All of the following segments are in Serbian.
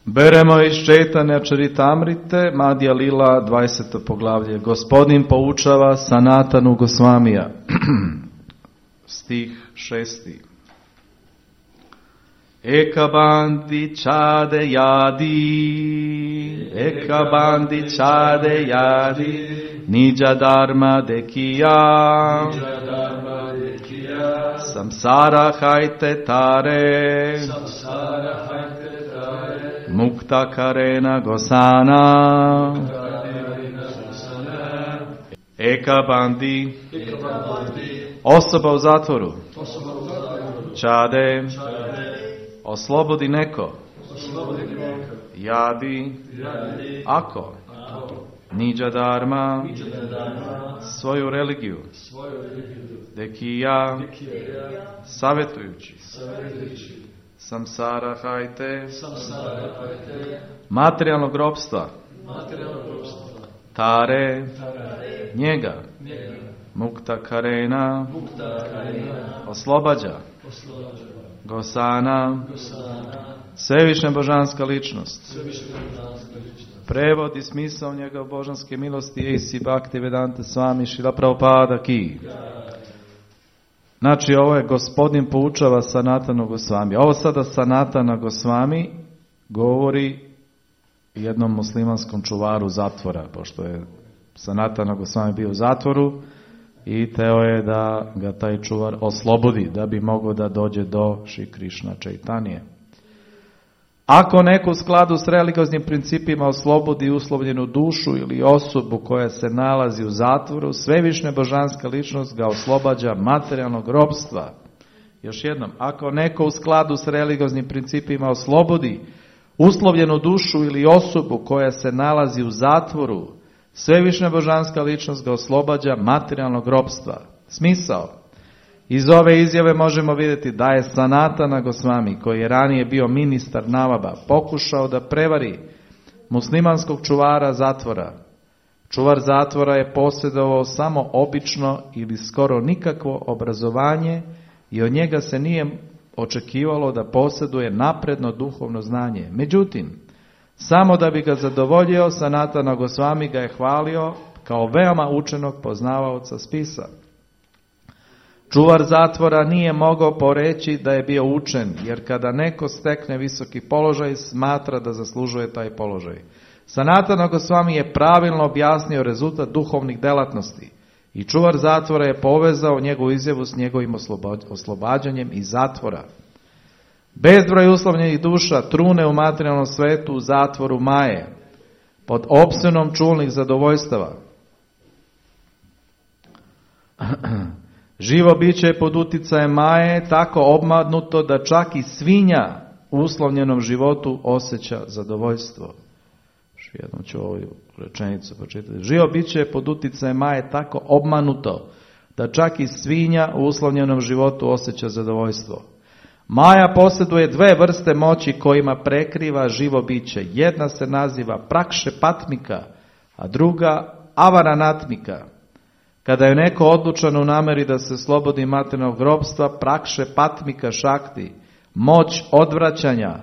Beremo iz Čaitanja Čaritamrite, Madhya Lila, 20. poglavlje. Gospodin poučava Sanatanu Gosvamija. Stih 6. Ekabandi chade yadi, nija dharma dekiya, samsara haite tare, mukta karena gosana. Ekabandi, osoba u zatvoru. Čade, oslobodi neko. Jadi, ako. Nidža dharma, svoju religiju. Dekija, savjetujući. Samsara hajte, materijalnog ropstva. Tare, njega. Mukta karena, oslobađa. Gosana, svevišnja božanska ličnost. Prevod i smisao njegov božanske milosti A.C. Bhaktivedanta Swami Srila Prabhupada ki. Znači, ovo je Gospodin poučava Sanatana Gosvami. Ovo sada Sanatana Gosvami govori jednom muslimanskom čuvaru zatvora, pošto je Sanatana Gosvami bio u zatvoru i teo je da ga taj čuvar oslobodi, da bi mogao da dođe do Šri Krišna Čaitanije. Ako neko u skladu s religioznim principima oslobodi uslovljenu dušu ili osobu koja se nalazi u zatvoru, svevišnja božanska ličnost ga oslobađa materijalnog ropstva. Još jednom, ako neko u skladu s religioznim principima oslobodi uslovljenu dušu ili osobu koja se nalazi u zatvoru, svevišnja božanska ličnost ga oslobađa materijalnog ropstva. Smisao. Iz ove izjave možemo vidjeti da je Sanatana Gosvami, koji je ranije bio ministar Navaba, pokušao da prevari muslimanskog čuvara zatvora. Čuvar zatvora je posjedovao samo obično ili skoro nikakvo obrazovanje i od njega se nije očekivalo da posjeduje napredno duhovno znanje. Međutim, samo da bi ga zadovoljio, Sanatana Gosvami ga je hvalio kao veoma učenog poznavaoca spisa. Čuvar zatvora nije mogao poreći da je bio učen, jer kada neko stekne visoki položaj, smatra da zaslužuje taj položaj. Sanatana Gosvami je pravilno objasnio rezultat duhovnih delatnosti i čuvar zatvora je povezao njegovu izjavu s njegovim oslobađanjem iz zatvora. Bezbroj uslovljenih duša trune u materijalnom svetu u zatvoru Maje, pod opsjenom čulnih zadovoljstava. Živo biće je pod uticajem Maje tako obmadnuto da čak i svinja u uslovljenom životu osjeća zadovoljstvo. Jednom ću ovu rečenicu pročitati. Živo biće je pod uticajem Maje tako obmanuto da čak i svinja u uslovljenom životu osjeća zadovoljstvo. Maja posjeduje dve vrste moći kojima prekriva živo biće. Jedna se naziva prakšepatmika, a druga avaranatmika. Kada je neko odlučan u nameri da se slobodi materijalnog ropstva, prakšepatmika šakti, moć odvraćanja,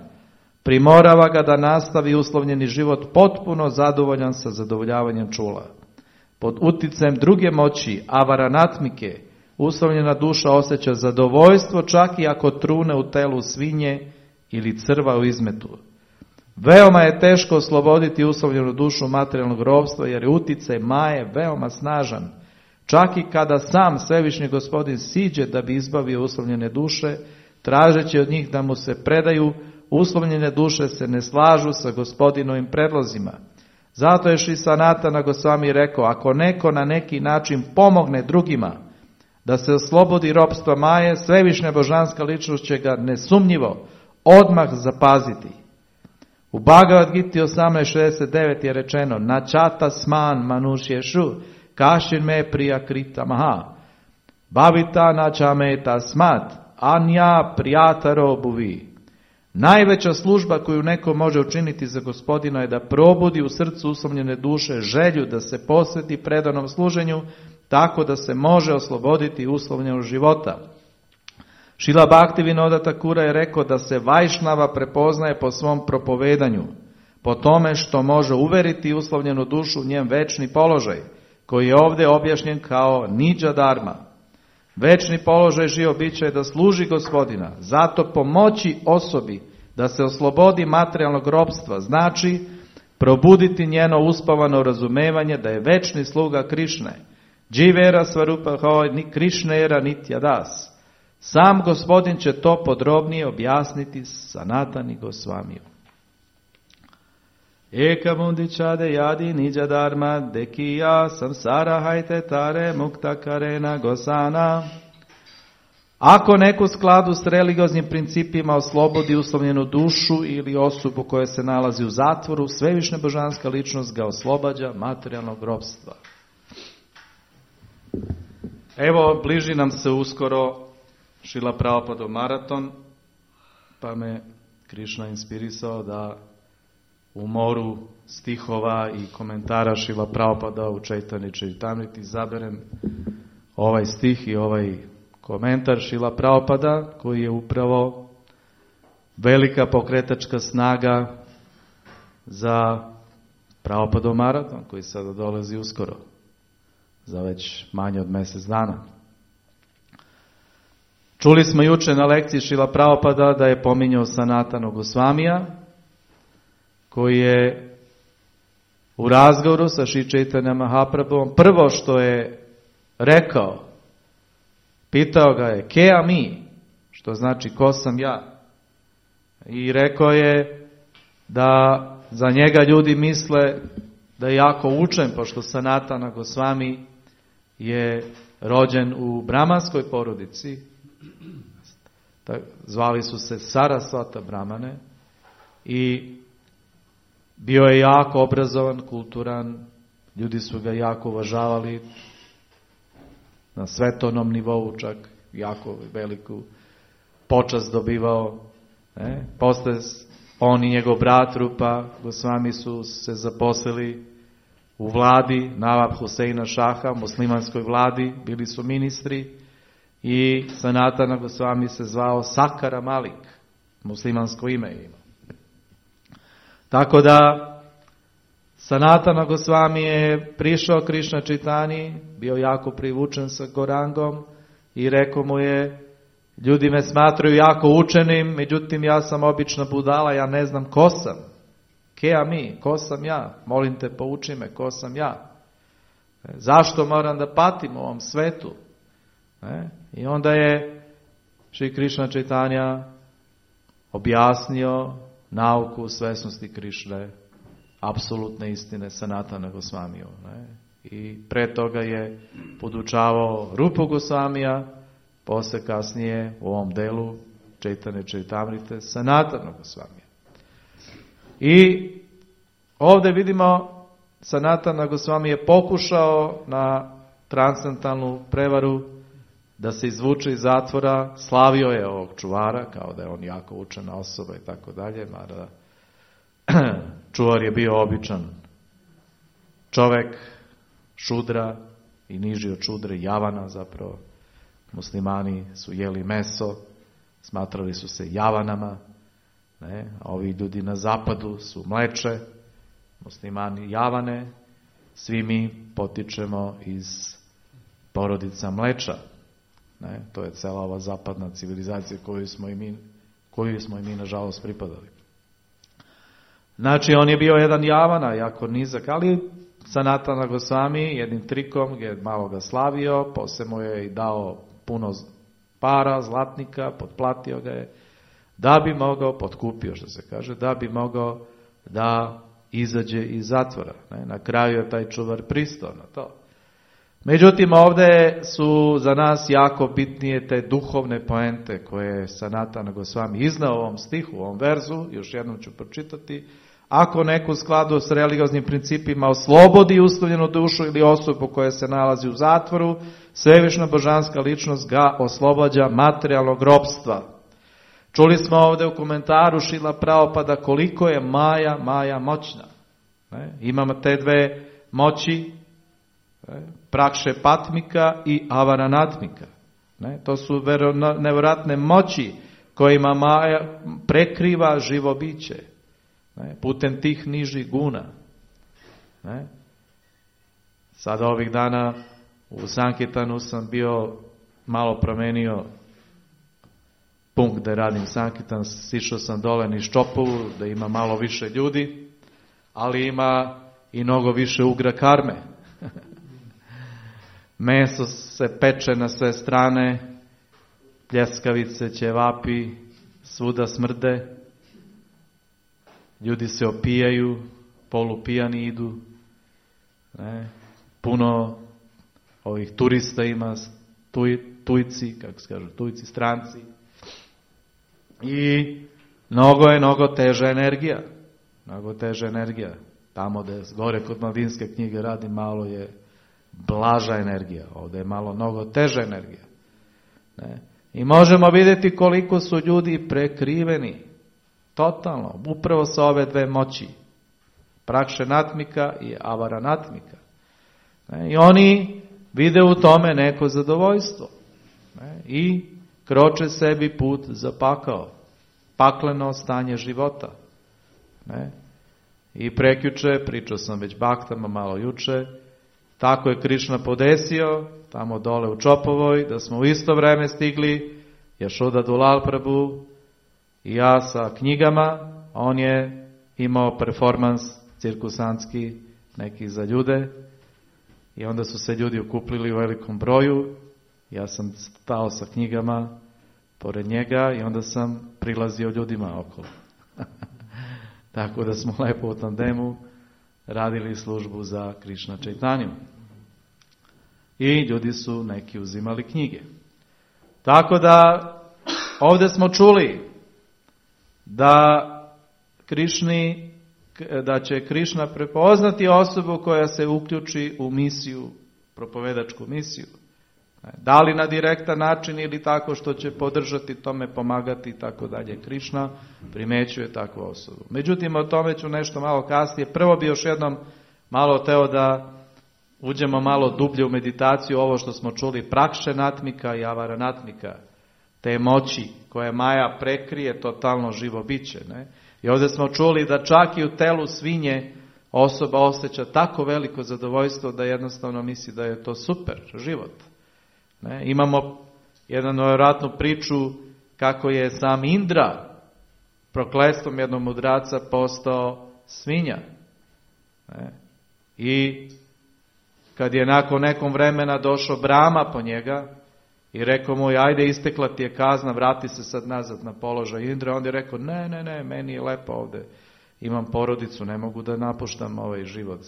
primorava ga da nastavi uslovljeni život potpuno zadovoljan sa zadovoljavanjem čula. Pod uticajem druge moći, avaranatmike, uslovljena duša osjeća zadovoljstvo čak i ako trune u telu svinje ili crva u izmetu. Veoma je teško osloboditi uslovljenu dušu materijalnog ropstva jer je uticaj Maje veoma snažan. Čak i kada sam svevišnji Gospodin siđe da bi izbavio uslovljene duše, tražeći od njih da mu se predaju, uslovljene duše se ne slažu sa Gospodinovim predlozima. Zato je Šri Sanatana Gosvami rekao, ako neko na neki način pomogne drugima da se oslobodi ropstva Maje, svevišnja božanska ličnost će ga nesumnjivo odmah zapaziti. U Bhagavad Gita 18.69 je rečeno, načata sman manušješu, kašin me prija krita maha, bhavita načame tasmat, anja prijataro buvi. Najveća služba koju neko može učiniti za Gospodina je da probudi u srcu uslovljene duše želju da se posveti predanom služenju, tako da se može osloboditi uslovljenog života. Šrila Bhaktivinoda Thakura je rekao da se Vajšnava prepoznaje po svom propovedanju, po tome što može uveriti uslovljenu dušu u njen večni položaj, koji je ovdje objašnjen kao niđa dharma. Večni položaj živo bića je da služi Gospodina, zato pomoći osobi da se oslobodi materijalnog ropstva, znači probuditi njeno uspavano razumevanje da je večni sluga Krišne. Dživera svarupa hoj ni Krišnera nitya das. Sam Gospodin će to podrobnije objasniti Sanatani Gosvamiju. Eka mundičade jadi niđa dharma dekija samsara hajte tare mukta karena gosana. Ako neko u skladu s religioznim principima oslobodi uslovljenu dušu ili osobu koja se nalazi u zatvoru, svevišnja božanska ličnost ga oslobađa materijalnog ropstva. Evo, bliži nam se uskoro Šrila Prabhupada maraton, pa me Krišna inspirisao da u moru stihova i komentara Šrila Prabhupada u Čaitanja Čaritamriti izaberem ovaj stih i ovaj komentar Šrila Prabhupada, koji je upravo velika pokretačka snaga za Prabhupada maraton, koji sada dolazi uskoro, za već manje od mjesec dana. Čuli smo juče na lekciji Šrila Prabhupada da je pominjao Sanatana Gosvamija, koji je u razgovoru sa Šri Čaitanjom Mahaprabhuom prvo što je rekao, pitao ga je ke mi, što znači ko sam ja. I rekao je da za njega ljudi misle da je jako učen, pošto Sanatana Gosvami je rođen u brahmanskoj porodici, zvali su se Sarasvata Brahmane, i bio je jako obrazovan, kulturan, ljudi su ga jako uvažavali, na svetovnom nivou čak jako veliku počast dobivao. Posle on i njegov brat Rupa Gosvami su se zaposlili u vladi Nawab Huseina Šaha, muslimanskoj vladi, bili su ministri, i Sanatana Gosvami se zvao Sakara Malik, muslimansko ime ima. Tako da Sanatana Gosvami je prišao Krišna Čaitanji, bio jako privučen sa Gorangom i rekao mu je, ljudi me smatraju jako učenim, međutim ja sam obična budala, ja ne znam ko sam. Ke mi, ko sam ja? Molim te, pouči me, ko sam ja? Zašto moram da patim u ovom svetu? I onda je Šri Krišna Čaitanja objasnio nauku svesnosti Krišne, apsolutne istine Sanatana Gosvamiju. I pre toga je podučavao Rupu Gosvamija, posle kasnije u ovom delu Čaitanja Čaritamrite Sanatana Gosvamija. I ovdje vidimo Sanatana Gosvami je pokušao na transcendentalnu prevaru da se izvuče iz zatvora, slavio je ovog čuvara, kao da je on jako učena osoba i tako dalje, mada čuvar je bio običan čovek, šudra i niži od šudre, javana zapravo. Muslimani su jeli meso, smatrali su se javanama, a ovi ljudi na zapadu su mleče, muslimani javane, svi mi potičemo iz porodica mleča. To je cela ova zapadna civilizacija koju smo i mi nažalost pripadali. Znači on je bio jedan javana, jako nizak, ali Sanatana Gosvami jednim trikom je malo ga slavio, poslije mu je i dao puno para, zlatnika, potplatio ga je, da bi mogao, potkupio što se kaže, da bi mogao da izađe iz zatvora. Na kraju je taj čuvar pristao na to. Međutim, ovdje su za nas jako bitnije te duhovne poente koje je Sanatana Gosvami iznao u ovom stihu, u ovom verzu, još jednom ću pročitati. Ako neko u skladu s religioznim principima oslobodi uslovljenu dušu ili osobu koja se nalazi u zatvoru, svevišnja božanska ličnost ga oslobađa materijalnog ropstva. Čuli smo ovdje u komentaru Šrila Prabhupada koliko je Maja moćna. Imamo te dve moći, Prakše Patmika i Avaranatmika. Ne? To su nevjerojatne moći kojima Maja prekriva živo biće. Ne? Putem tih nižih guna. Ne? Sada ovih dana u Sankirtanu sam bio malo promenio punkt gdje radim Sankirtan, sišao sam dole niz Čopovu da ima malo više ljudi, ali ima i mnogo više ugra karme. Meso se peče na sve strane, pljeskavice, ćevapi, svuda smrde, ljudi se opijaju, polupijani idu, ne? Puno ovih turista ima, tujci, kako se kažu, tujci, stranci. I mnogo teža energija. Mnogo teža energija. Tamo gdje gore kod Maldinske knjige radi, malo je blaža energija. Ovdje je malo mnogo teža energija. Ne? I možemo vidjeti koliko su ljudi prekriveni. Totalno. Upravo sa ove dve moći. Prakšenatmika i avaranatmika. I oni vide u tome neko zadovoljstvo. I kroče sebi put za pakao. Pakleno stanje života. I prekjuče, pričao sam već baktama malo juče, tako je Krišna podesio, tamo dole u Čopovoj, da smo u isto vreme stigli, Jašoda Dulal Prabhu i ja sa knjigama. On je imao performans cirkusantski neki za ljude i onda su se ljudi okupili u velikom broju. Ja sam stao sa knjigama pored njega i onda sam prilazio ljudima okolo. Tako da smo lepo u tandemu radili službu za Krišna Čaitanju. I ljudi su neki uzimali knjige. Tako da ovdje smo čuli da će Krišna prepoznati osobu koja se uključi u misiju, propovedačku misiju. Da li na direktan način ili tako što će podržati tome, pomagati i tako dalje. Krišna primećuje takvu osobu. Međutim, o tome ću nešto malo kasnije. Prvo bi još jednom malo teo da uđemo malo dublje u meditaciju, ovo što smo čuli, prakšenatmika i avaranatmika, te moći koje Maja prekrije totalno živo biće. Ne? I ovdje smo čuli da čak i u telu svinje osoba osjeća tako veliko zadovoljstvo da jednostavno misli da je to super život. Ne? Imamo jednu nevjerojatnu priču kako je sam Indra prokletstvom jednog mudraca postao svinja. Ne? I kad je nakon nekom vremena došao Brahma po njega i rekao mu, ajde, istekla ti je kazna, vrati se sad nazad na položaj Indra, on je rekao, ne, meni je lepo ovdje, imam porodicu, ne mogu da napuštam ovaj život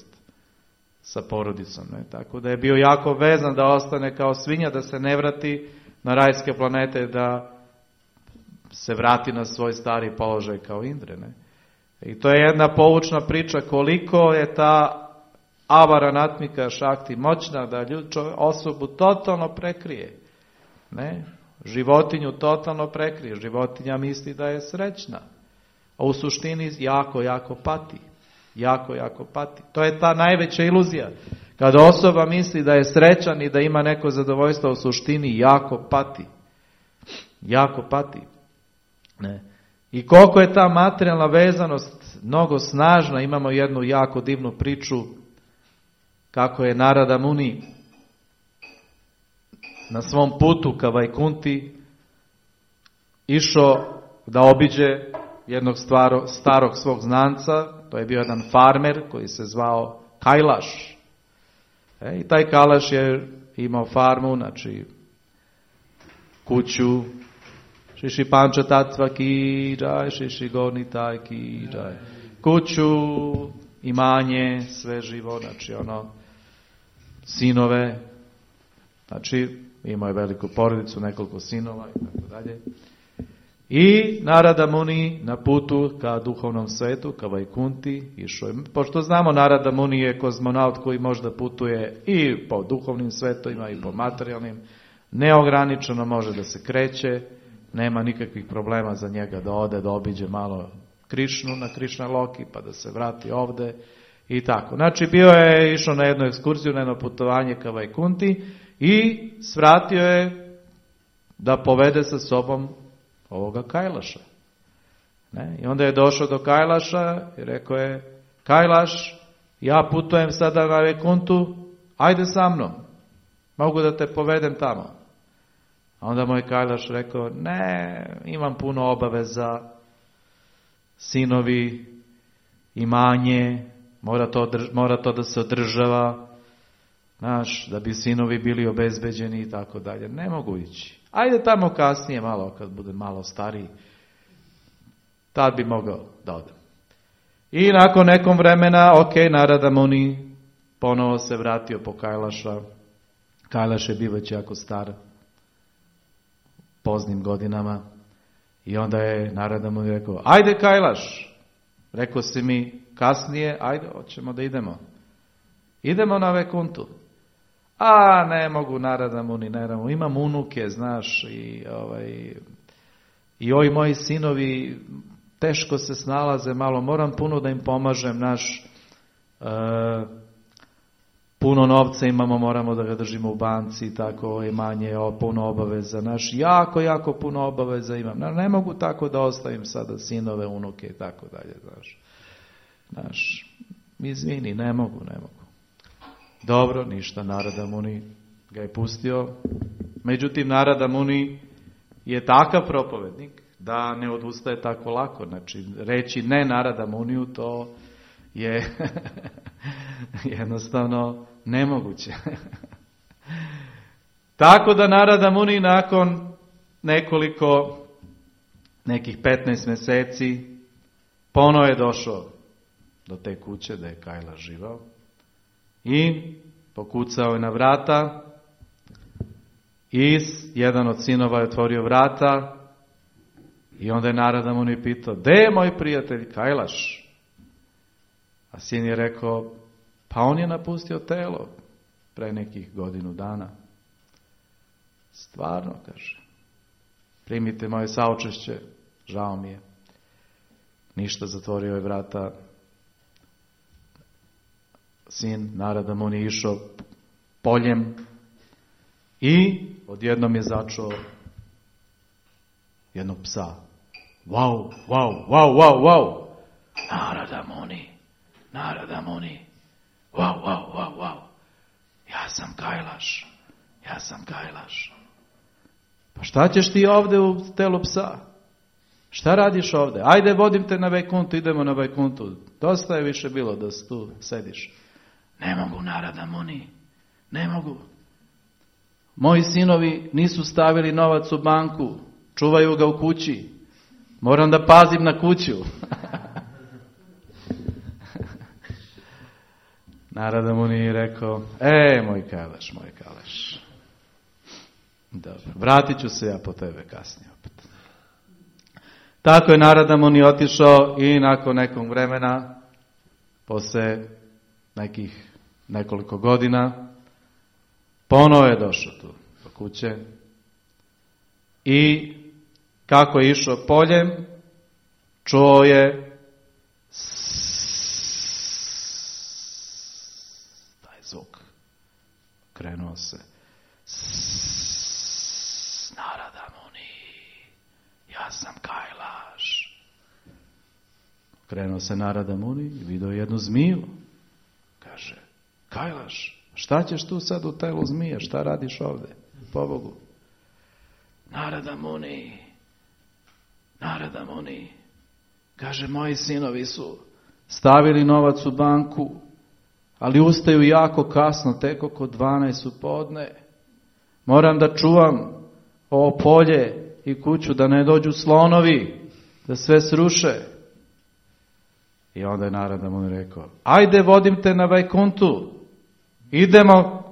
sa porodicom. Ne? Tako da je bio jako vezan da ostane kao svinja, da se ne vrati na rajske planete, da se vrati na svoj stari položaj kao Indre. Ne? I to je jedna poučna priča koliko je ta avaranatmika šakti moćna da osobu totalno prekrije. Ne? Životinju totalno prekrije. Životinja misli da je srećna, a u suštini jako pati. Jako pati. To je ta najveća iluzija. Kada osoba misli da je srećan i da ima neko zadovoljstvo, u suštini jako pati. Jako pati. Ne? I koliko je ta materijalna vezanost mnogo snažna, imamo jednu jako divnu priču kako je Narada Muni na svom putu ka Vajkunti išao da obiđe jednog starog svog znanca. To je bio jedan farmer koji se zvao Kailaš. I taj Kailaš je imao farmu, znači kuću, Šiši Panča Tatva ki džaj, Šiši Gornitaj ki džaj. Kuću, imanje, sve živo, znači sinove, znači imao je veliku porodicu, nekoliko sinova i tako dalje. I Narada Muni na putu ka duhovnom svetu, ka Vajkunti, išao je. Pošto znamo, Narada Muni je kozmonaut koji možda putuje i po duhovnim svetovima i po materijalnim, neograničeno može da se kreće, nema nikakvih problema za njega da ode, da obiđe malo Krišnu na Krišna Loki, pa da se vrati ovde i tako. Znači bio je išao na jednu ekskurziju, na jedno putovanje ka Vajkunti i svratio je da povede sa sobom ovoga Kailaša. Ne? I onda je došao do Kailaša i rekao je, Kailaš, ja putujem sada na Vaikuntu, ajde sa mnom, mogu da te povedem tamo. A onda moj Kailaš rekao, ne, imam puno obaveza, sinovi, imanje, mora to da se održava, znaš, da bi sinovi bili obezbeđeni i tako dalje. Ne mogu ići. Ajde tamo kasnije malo, kad budem malo stariji, tad bi mogao da odem. I nakon nekom vremena, Narada Muni ponovo se vratio po Kailaša. Kailaš je bio već jako star, poznim godinama. I onda je Narada Muni rekao, ajde Kailaš, rekao si mi kasnije, ajde, hoćemo da idemo. Idemo na Vaikuntu. A ne mogu Narada Muni, imam unuke, znaš, i ovi moji sinovi teško se snalaze malo, moram puno da im pomažem, puno novca imamo, moramo da ga držimo u banci, tako imanje, puno obaveza, jako puno obaveza imam. Ne mogu tako da ostavim sada sinove, unuke i tako dalje, znaš. Izvini, ne mogu. Dobro, ništa, Narada Muni ga je pustio. Međutim, Narada Muni je takav propovednik da ne odustaje tako lako. Znači, reći ne Narada Muniju, to je jednostavno nemoguće. Tako da Narada Muni nakon nekih 15 mjeseci ponovo je došao do te kuće da je Kailaš živao i pokucao je na vrata i jedan od sinova je otvorio vrata i onda je Narada Muni pitao, gde je moj prijatelj Kailaš? A sin je rekao, pa on je napustio telo pre nekih godinu dana. Stvarno, kaže, primite moje saučešće, žao mi je. Ništa, zatvorio je vrata. Sin Narada Muni je išao poljem i odjednom je začuo jednog psa. Wow. Narada Muni. Wow. Ja sam Kailaš. Pa šta ćeš ti ovde u telu psa? Šta radiš ovde? Ajde, vodim te na Vaikuntu, idemo na Vaikuntu. Dosta je više bilo da tu sediš. Ne mogu, Narada Muni, ne mogu. Moji sinovi nisu stavili novac u banku, čuvaju ga u kući. Moram da pazim na kuću. Narada Muni je rekao, moj Kailaš. Dobro, vratit ću se ja po tebe kasnije opet. Tako je Narada Muni otišao i nakon nekog vremena, posle nekih nekoliko godina, ponovo je došao tu do kuće i kako je išao poljem, čuo je taj zvuk. Krenuo se. Narada Muni, ja sam Kailaš. Krenuo se Narada Muni i vidio jednu zmiju. Kaže, Kailaš, šta ćeš tu sad u telu zmije? Šta radiš ovde? Pobogu. Narada Muni. Kaže, moji sinovi su stavili novac u banku, ali ustaju jako kasno, tek oko 12 u podne. Moram da čuvam ovo polje i kuću, da ne dođu slonovi, da sve sruše. I onda je Narada Muni rekao, ajde, vodim te na Vaikuntu.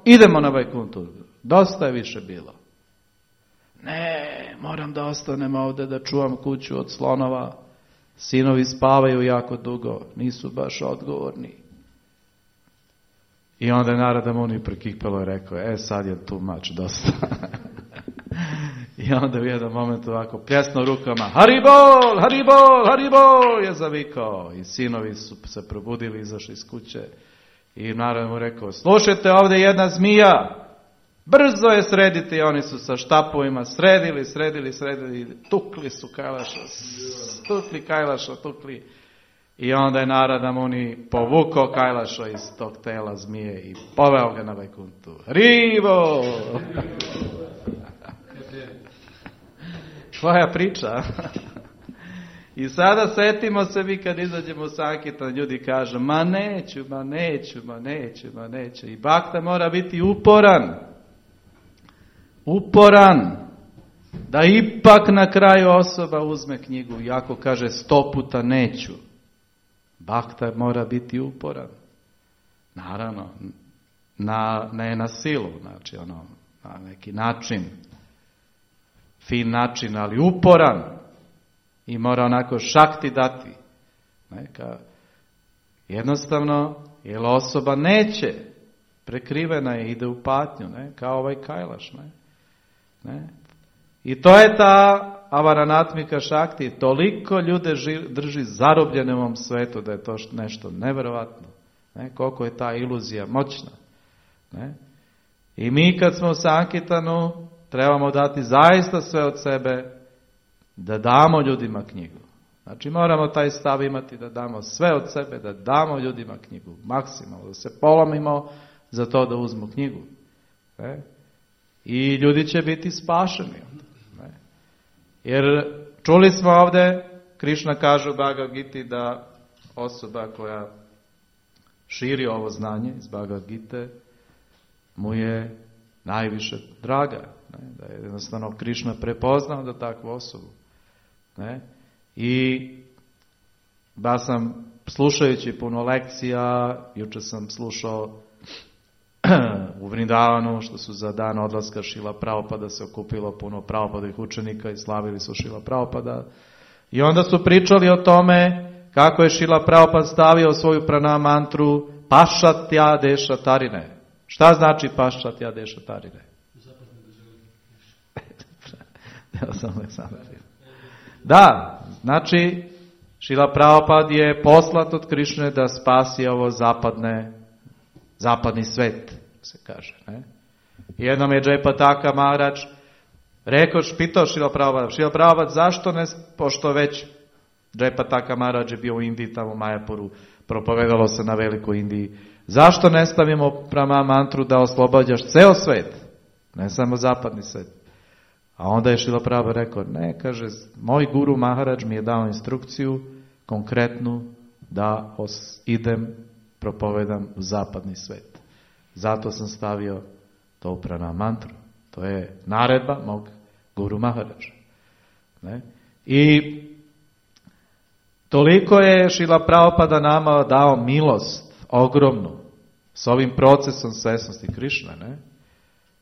Idemo na Vaikuntu. Dosta je više bilo. Ne, moram da ostanem ovde da čuvam kuću od slonova. Sinovi spavaju jako dugo, nisu baš odgovorni. I onda je Narada Muni prekipelo i rekao, sad je tu mač dosta. I onda u jednom momentu ovako pljesno rukama, Haribol, je zavikao. I sinovi su se probudili, izašli iz kuće. I Narada mu rekao, slušajte, ovdje jedna zmija. Brzo je srediti, oni su sa štapovima sredili, tukli su Kailaša, tukli. I onda je Narada Muni povukao Kailaša iz tog tela zmije i poveo ga na Vajkuntu. Hribo! Tvoja priča. I sada setimo se mi kad izađemo u Sankirtan, ljudi kažu, ma neću. I Bhakta mora biti uporan, da ipak na kraju osoba uzme knjigu, iako kaže 100 puta neću. Bhakta mora biti uporan. Naravno, ne na silu, znači na neki način, fin način, ali uporan. I mora onako šakti dati. Jednostavno, jer osoba neće, prekrivena je, ide u patnju, kao ovaj Kailaš. I to je ta avaranatmika šakti. Toliko ljude drži zarobljene u ovom svetu da je to nešto nevjerovatno. Koliko je ta iluzija moćna. I mi kad smo u Sankirtanu trebamo dati zaista sve od sebe da damo ljudima knjigu. Znači moramo taj stav imati da damo sve od sebe, da damo ljudima knjigu. Maksimalno, da se polomimo za to da uzmu knjigu. I ljudi će biti spašeni. Jer čuli smo ovdje, Krišna kaže u Bhagavad Giti da osoba koja širi ovo znanje iz Bhagavad Gite mu je najviše draga. Da je jednostavno Krišna prepoznao da takvu osobu. I da sam slušajući puno lekcija, jučer sam slušao u Vrindavanu, što su za dan odlaska Šrila Prabhupada se okupilo puno Prabhupadovih učenika i slavili su Šrila Prabhupada. I onda su pričali o tome kako je Šrila Prabhupada stavio svoju pranam mantru Pašatja Deša Tarine. Šta znači Pašatja Deša Tarine? Da, znači Šrila Prabhupada je poslat od Krišne da spasi ovo zapadni svet, se kaže. Jednom je Jayapataka Maharaj pitao Šrila Prabhupada, zašto ne, pošto već Jayapataka Maharaj je bio u Indiji, tamo u Majapuru, propovedalo se na velikoj Indiji, zašto ne stavimo prama mantru da oslobađaš ceo svet, ne samo zapadni svet? A onda je Šrila Prabhupada rekao, ne, kaže, moj guru Maharaj mi je dao instrukciju konkretnu da idem, propovedam u zapadni svet. Zato sam stavio to u pranam mantru. To je naredba mog guru Maharađa. I toliko je Šrila Prabhupada nama dao milost ogromnu s ovim procesom svesnosti Krišne.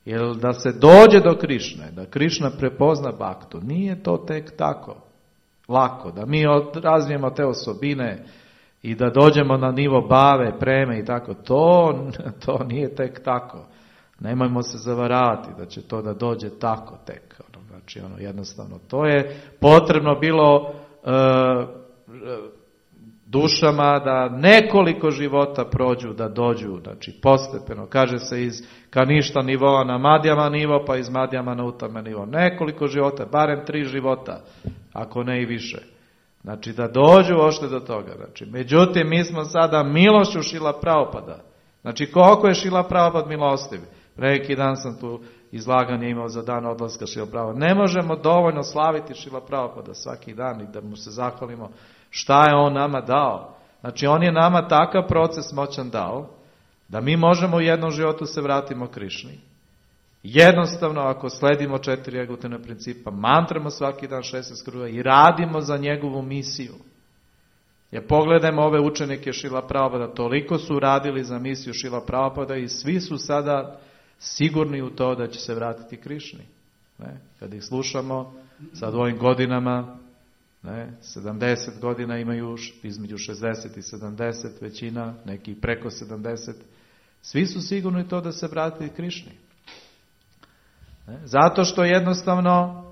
Jer da se dođe do Krišne, da Krišna prepozna Bhaktu, nije to tek tako lako, da mi razvijemo te osobine i da dođemo na nivo bave, preme i tako, to nije tek tako. Nemojmo se zavaravati da će to da dođe tako tek. Znači, jednostavno, to je potrebno bilo dušama da nekoliko života prođu, da dođu, znači postepeno. Kaže se iz Kaništa nivoa na Madjama nivo, pa iz Madjama na Utama nivo. Nekoliko života, barem 3 života, ako ne i više. Znači da dođu ošte do toga. Znači, međutim, mi smo sada milošću Šrila Prabhupada. Znači, koliko je Šrila Prabhupada milostiv? Neki dan sam tu izlaganje imao za dan odlaska Šrila Prabhupada. Ne možemo dovoljno slaviti Šrila Prabhupada svaki dan i da mu se zahvalimo šta je on nama dao. Znači, on je nama takav proces moćan dao da mi možemo u jednom životu se vratimo Krišni. Jednostavno, ako sledimo 4 egotena principa, mantramo svaki dan 16 kruga i radimo za njegovu misiju. Jer pogledajmo ove učenike Šrila Prabhupada, toliko su radili za misiju Šrila Prabhupada i svi su sada sigurni u to da će se vratiti Krišni. Kad ih slušamo sad u ovim godinama, 70 godina imaju, između 60 i 70 većina, neki preko 70, svi su sigurni u to da se vratiti Krišni. Zato što jednostavno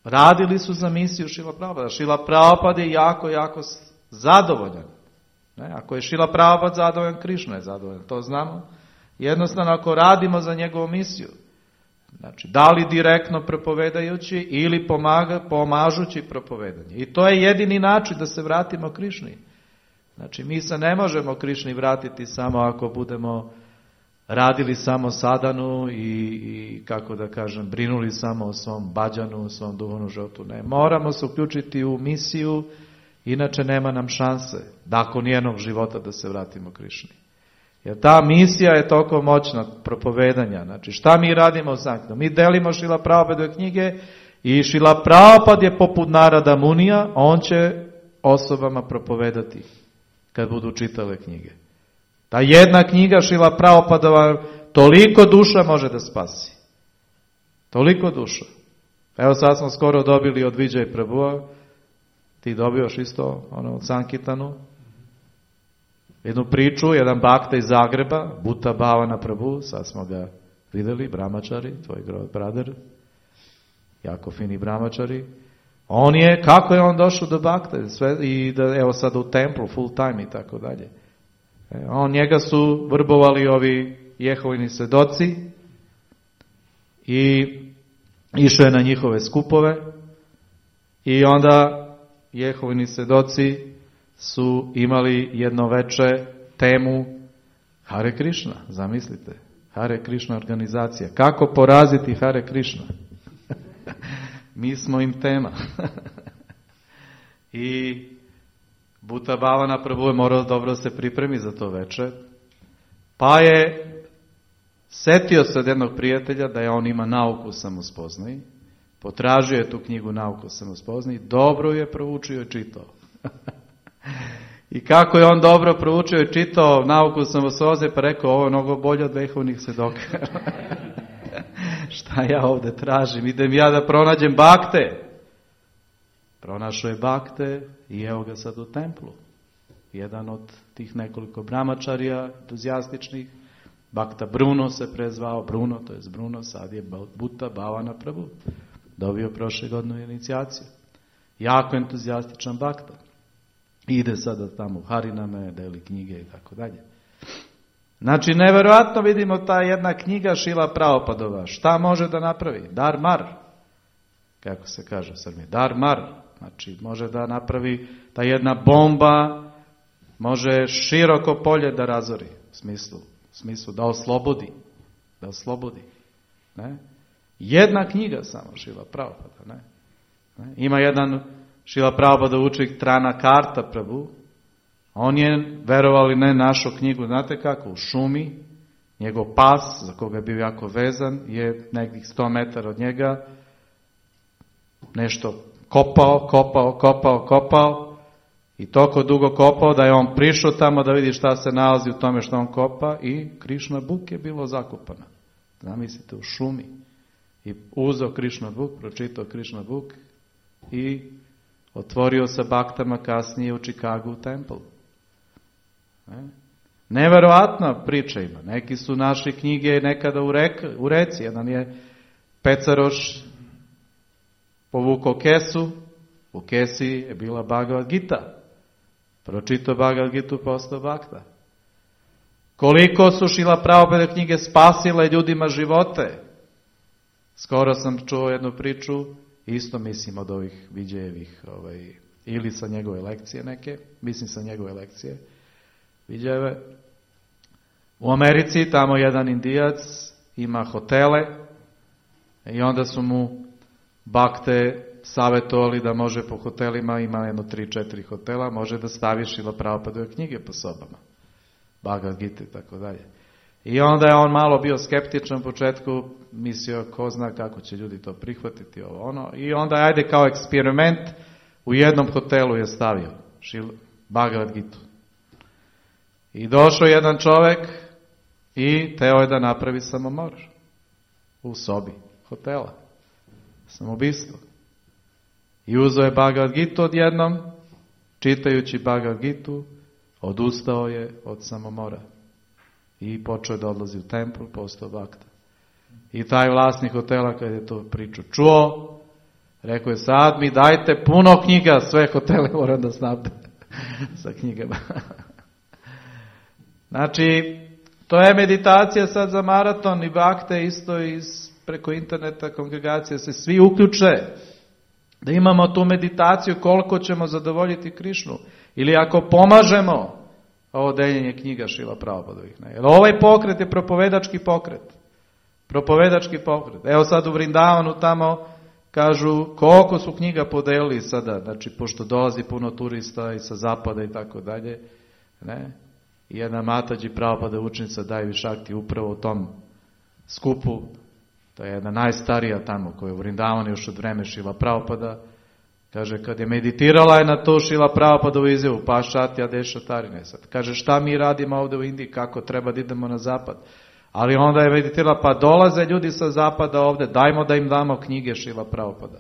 radili su za misiju Šrila Prabhupada. Šrila Prabhupada je jako, jako zadovoljan. Ako je Šrila Prabhupada zadovoljan, Krišna je zadovoljan. To znamo. Jednostavno ako radimo za njegovu misiju, znači da li direktno propovedajući ili pomažući propovedanje. I to je jedini način da se vratimo Krišni. Znači mi se ne možemo Krišni vratiti samo ako budemo radili samo sadanu i kako da kažem, brinuli samo o svom bađanu, o svom duhovnom životu. Ne, moramo se uključiti u misiju, inače nema nam šanse nakon jednog života da se vratimo Krišni. Jer ta misija je toliko moćna propovedanja. Znači šta mi radimo u Sankirtanu? Mi delimo Šrila Prabhupadove knjige i Šrila Prabhupada je poput Narada Munija, on će osobama propovedati kad budu čitale knjige. Ta jedna knjiga Šrila Prabhupadova toliko duša može da spasi. Toliko duša. Evo sad smo skoro dobili od Vijay Prabhua, ti dobioš isto od Sankirtanu, jednu priču, jedan bakta iz Zagreba, Butta Bhavana Prabhu, sad smo ga videli, brahmačari, tvoj brother, jako fini brahmačari. Kako je on došao do bakta i da evo sad u templu full time i tako dalje. Njega su vrbovali ovi Jehovini svedoci i išao je na njihove skupove i onda Jehovini svedoci su imali jedno veče temu Hare Krishna, zamislite, Hare Krishna organizacija. Kako poraziti Hare Krishna? Mi smo im tema. I Butta Bhavana Prabhu je morao dobro se pripremi za to veče, pa je setio se od jednog prijatelja da je on ima nauku o samospoznaji, potražio je tu knjigu Nauku o samospoznaji, dobro je proučio i čitao. I kako je on dobro proučio i čitao Nauku o samospoznaji, pa rekao, ovo je mnogo bolje od vehovnih svedoka. Šta ja ovdje tražim? Idem ja da pronađem bakte. Pronašao je bakte i evo ga sad u templu. Jedan od tih nekoliko brahmačarija entuzijastičnih, Bakta Bruno se prezvao, Bruno, sad je Butta Bhavana Prabhu. Dobio prošle godine inicijaciju. Jako entuzijastičan bakta. Ide sada tamo u Hariname, deli knjige i tako dalje. Znači, nevjerojatno vidimo ta jedna knjiga Šrila Prabhupadova. Šta može da napravi? Dar mar. Kako se kaže u Srbiji? Dar mar. Znači, može da napravi ta jedna bomba, može široko polje da razori. U smislu da oslobodi. Ne? Jedna knjiga samo Šrila Prabhupada. Ne? Ima jedan Šrila Prabhupada učenik Tranakarta Prabhu. On je, verovali ne, našao knjigu, znate kako, u šumi. Njegov pas, za koga je bio jako vezan, je nekih 100 metara od njega nešto kopao i toliko dugo kopao da je on prišao tamo da vidi šta se nalazi u tome što on kopa i Krishna Book je bilo zakopana. Zamislite, u šumi. I uzeo Krishna Book, pročitao Krishna Book i otvorio sa baktama kasnije u Chicago Temple. Neverovatna priča ima. Neki su našli knjige nekada u reci. Jedan je Pecaroš povukao kesu, u kesi je bila Bhagavad Gita. Pročitao Bhagavad Gitu, postao bakta. Koliko su Šrila Prabhupada knjige spasile ljudima živote. Skoro sam čuo jednu priču, isto mislim od ovih Viđejevih, ili sa njegove lekcije neke, mislim sa njegove lekcije, Viđejeve. U Americi tamo jedan Indijac ima hotele i onda su mu bakte savjetovali da može po hotelima, ima jedno 3-4 hotela, može da stavi Šrila Prabhupadove knjige po sobama. Bhagavad Gita i tako dalje. I onda je on malo bio skeptičan u početku, mislio ko zna kako će ljudi to prihvatiti, I onda ajde kao eksperiment u jednom hotelu je stavio Bhagavad Gitu. I došao jedan čovjek i teo je da napravi samomor u sobi hotela. Samoubistvo. I uzeo je Bhagavad Gitu odjednom, čitajući Bhagavad Gitu, odustao je od samomora. I počeo je da odlazi u templu, postao bakta. I taj vlasnik hotela kad je to priču čuo, rekao je sad mi dajte puno knjiga, sve hotele moram da snabde sa knjigama. Znači, To je meditacija sad za maraton i bakte isto preko interneta kongregacija se svi uključe. Da imamo tu meditaciju koliko ćemo zadovoljiti Krišnu. Ili ako pomažemo ovo deljenje knjiga Šrila Prabhupadovih. Jer ovaj pokret je propovedački pokret. Propovedački pokret. Evo sad u Vrindavanu tamo kažu koliko su knjiga podelili sada. Znači pošto dolazi puno turista i sa zapada i tako dalje. Ne? I jedna Matađi Prabhupada učenica Daivi Šakti upravo u tom skupu. To je jedna najstarija tamo koja je u Vrindavanu još od vreme Šrila Prabhupada. Kaže, kad je meditirala je na to Šrila Prabhupadovu izjavu, Pašati Adeša Tarine. Sad kaže, šta mi radimo ovdje u Indiji, kako treba da idemo na zapad. Ali onda je meditirala, pa dolaze ljudi sa zapada ovdje, dajmo da im damo knjige Šrila Prabhupada.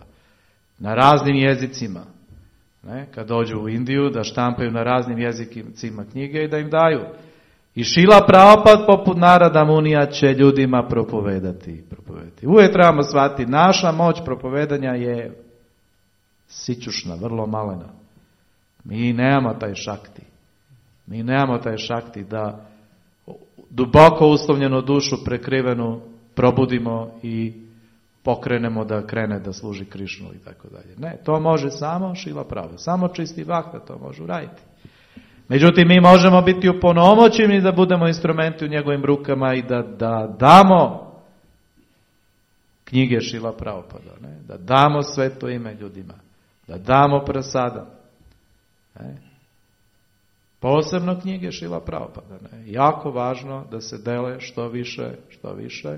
Na raznim jezicima. Ne? Kad dođu u Indiju, da štampaju na raznim jezicima knjige i da im daju. I Šrila Prabhupada poput Narada Munija će ljudima propovedati. Uvijek trebamo shvatiti, naša moć propovedanja je sićušna, vrlo malena. Mi nemamo taj šakti. Mi nemamo taj šakti da duboko uslovljenu dušu prekrivenu probudimo i pokrenemo da krene da služi Krišnu i tako dalje. Ne, to može samo Šrila Prabhupada. Samo čisti Bhakta to može uraditi. Međutim, mi možemo biti uponomoćeni da budemo instrumenti u njegovim rukama i da damo knjige Šrila Prabhupada. Ne? Da damo sveto ime ljudima. Da damo prasada. Ne? Posebno knjige Šrila Prabhupada. Ne? Jako važno da se dele što više.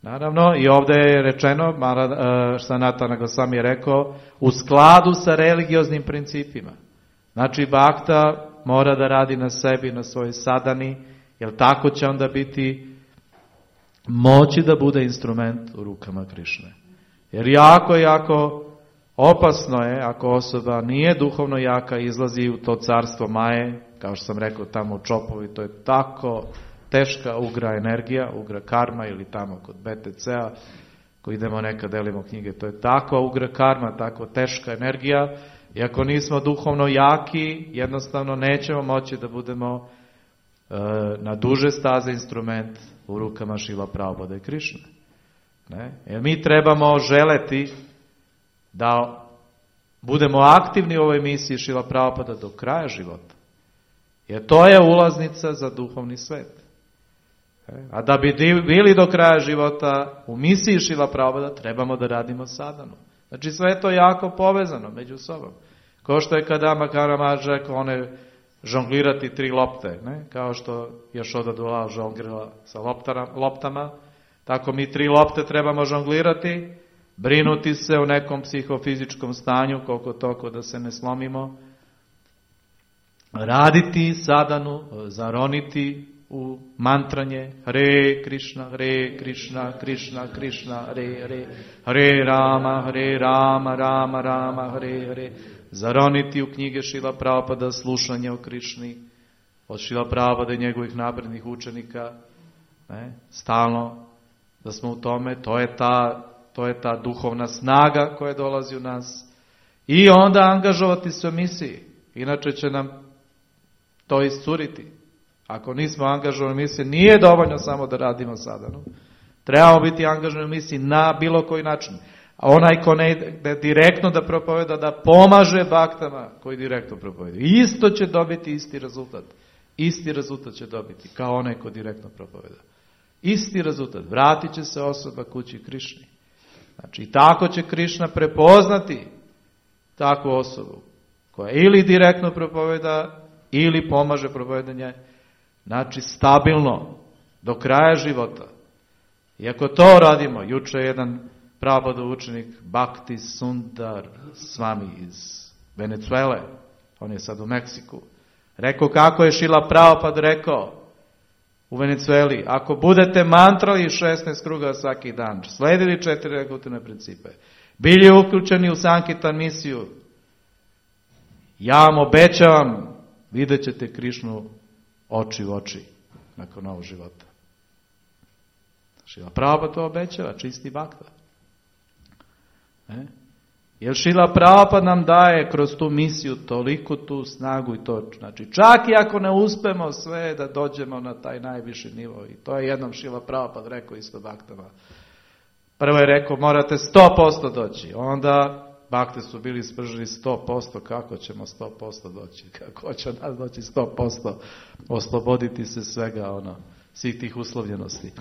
Naravno, i ovdje je rečeno, Sanatana Gosvami je rekao, u skladu sa religioznim principima. Znači, Bhakta mora da radi na sebi, na svojoj sadani, jer tako će onda biti moći da bude instrument u rukama Krišne. Jer jako opasno je ako osoba nije duhovno jaka, izlazi u to carstvo Maje, kao što sam rekao tamo u Čopovi, to je tako teška ugra energija, ugra karma ili tamo kod BTC-a, ko idemo nekad delimo knjige, to je takva ugra karma, tako teška energija, i ako nismo duhovno jaki, jednostavno nećemo moći da budemo na duže staze instrument u rukama Šrila Prabhupada i Krišne. Ne? Jer mi trebamo želeti da budemo aktivni u ovoj misiji Šrila Prabhupada do kraja života. Jer to je ulaznica za duhovni svet. A da bi bili do kraja života u misiji Šrila Prabhupada, trebamo da radimo sadhanu. Znači sve je to jako povezano među sobom. Kao što je Kadama Karamaž rekao, one žonglirati 3 lopte, ne? Kao što Jašoda Dulal žonglira sa loptama, tako mi 3 lopte trebamo žonglirati, brinuti se u nekom psihofizičkom stanju, koliko toliko da se ne slomimo, raditi sadhanu, zaroniti u mantranje Hare Krishna, Krishna Krishna, Hare Rama, Rama, Hare, zaroniti u knjige Šrila Prabhupada, slušanje o Krišni, od Šrila Prabhupada i njegovih naprednih učenika, ne, stalno da smo u tome, to je ta duhovna snaga koja dolazi u nas, i onda angažovati se u misiji, inače će nam to iscuriti. Ako nismo angažovani u misiji, nije dovoljno samo da radimo sadhanu. Trebamo biti angažovani u misiji na bilo koji način. A onaj ko ne ide direktno da propoveda, da pomaže baktama koji direktno propoveda. Isto će dobiti isti rezultat. Isti rezultat će dobiti kao onaj ko direktno propoveda. Isti rezultat. Vratit će se osoba kući Krišni. Znači, tako će Krišna prepoznati takvu osobu koja ili direktno propoveda ili pomaže propovedanje. Znači, stabilno, do kraja života. I ako to radimo, juče je jedan Prabhupada učenik Bhakti Sundar Swami iz Venezuele, on je sad u Meksiku, rekao kako je Šrila Prabhupada rekao u Venezueli, ako budete mantrali 16 kruga svaki dan, sledili 4 regulativne principe, bili uključeni u Sankirtan misiju, ja vam obećavam, vidjet ćete Krišnu oči u oči nakon ovog života. Šrila Prabhupada to obećava, čisti Bhakta. Jer Šrila Prabhupada nam daje kroz tu misiju toliko tu snagu i to, znači čak i ako ne uspemo sve da dođemo na taj najviši nivo. I to je jednom Šrila Prabhupada rekao isto baktama. Prvo je rekao morate 100% doći, onda bakte su bili sprženi 100%, kako ćemo 100% doći, kako će nas doći 100%, osloboditi se svega svih tih uslovljenosti.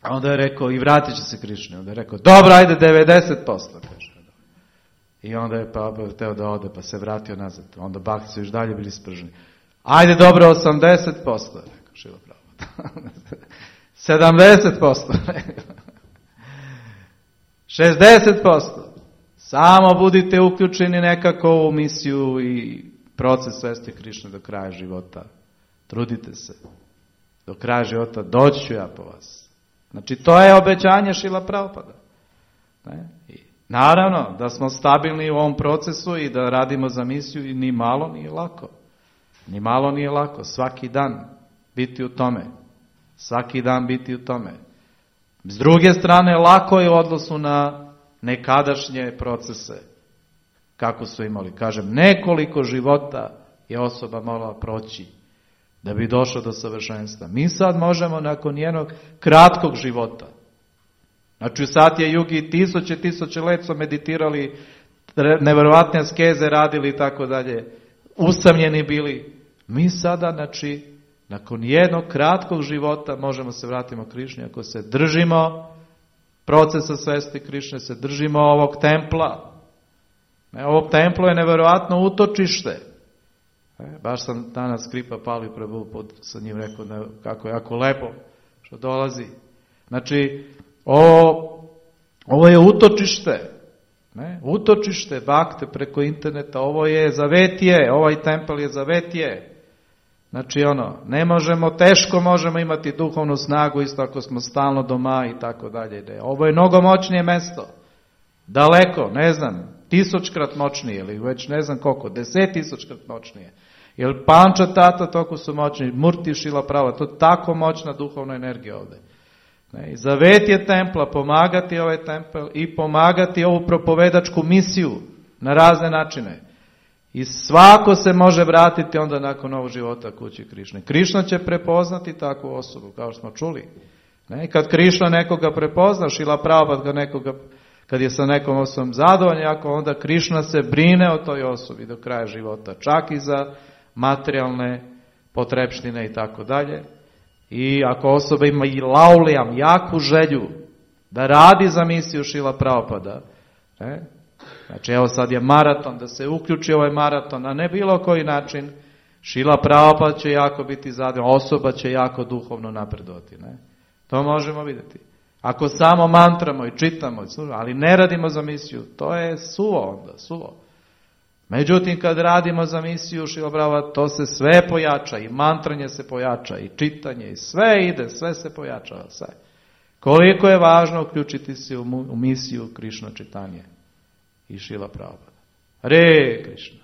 A onda je rekao i vratit će se Krišni, onda je rekao dobro, ajde 90%, kaže. I onda je Prabhupada hteo da ode, pa se vratio nazad, onda bakti su još dalje bili sprženi. Ajde dobro 80%, rekao Šrila Prabhupada. 70%, rekao. 60%. Samo budite uključeni nekako u misiju i proces svesti Krišne do kraja života. Trudite se. Do kraja života doći ću ja po vas. Znači to je obećanje Šrila Prabhupada. I naravno da smo stabilni u ovom procesu i da radimo za misiju i ni malo nije lako. Ni malo nije lako. Svaki dan biti u tome. Svaki dan biti u tome. S druge strane, lako je u odnosu na nekadašnje procese. Kako su imali? Kažem, nekoliko života je osoba morala proći da bi došao do savršenstva. Mi sad možemo nakon jednog kratkog života. Znači u Satya Yugi tisuće let su meditirali, nevjerovatne askeze radili i tako dalje. Usamljeni bili. Mi sada, znači, nakon jednog kratkog života možemo se vratiti Krišni ako se držimo procesa svesti Krišne, se držimo ovog templa. Ovo templo je nevjerojatno utočište. Baš sam danas Kripa Pali Prabhu sa njim rekao kako je jako lepo što dolazi. Znači, ovo je utočište. Utočište bakte preko interneta, ovo je zavetije, ovaj tempel je zavetije. Znači ne možemo, teško možemo imati duhovnu snagu isto ako smo stalno doma i tako dalje. Ovo je mnogo moćnije mesto. Daleko, ne znam, 1000-krat moćnije ili već ne znam koliko, 10.000-krat moćnije. Jer Panča Tata toliko su moćni, Murti Šrila Prabhupada, to je tako moćna duhovna energija ovdje. Zavet je templa, pomagati ovaj tempel i pomagati ovu propovedačku misiju na razne načine. I svako se može vratiti onda nakon ovog života kući Krišne. Krišna će prepoznati takvu osobu, kao što smo čuli. Kad Krišna nekoga prepozna, Šrila Prabhupada kad je sa nekom osobom zadovoljan, onda Krišna se brine o toj osobi do kraja života. Čak i za materijalne potrepštine i tako dalje. I ako osoba ima i laulijam, jaku želju da radi za misiju Šrila Prabhupada, znači evo sad je maraton, da se uključi ovaj maraton, a ne bilo koji način, Šrila Prabhupada će jako biti zadovoljan, osoba će jako duhovno napredovati. To možemo vidjeti. Ako samo mantramo i čitamo, ali ne radimo za misiju, to je suvo onda, suvo. Međutim, kad radimo za misiju Šrila Prabhupada, to se sve pojača, i mantranje se pojača, i čitanje, i sve ide, sve se pojačava, sve. Koliko je važno uključiti se u misiju Krišna Čitanje i Šrila Prabhupada. Hare Krišna.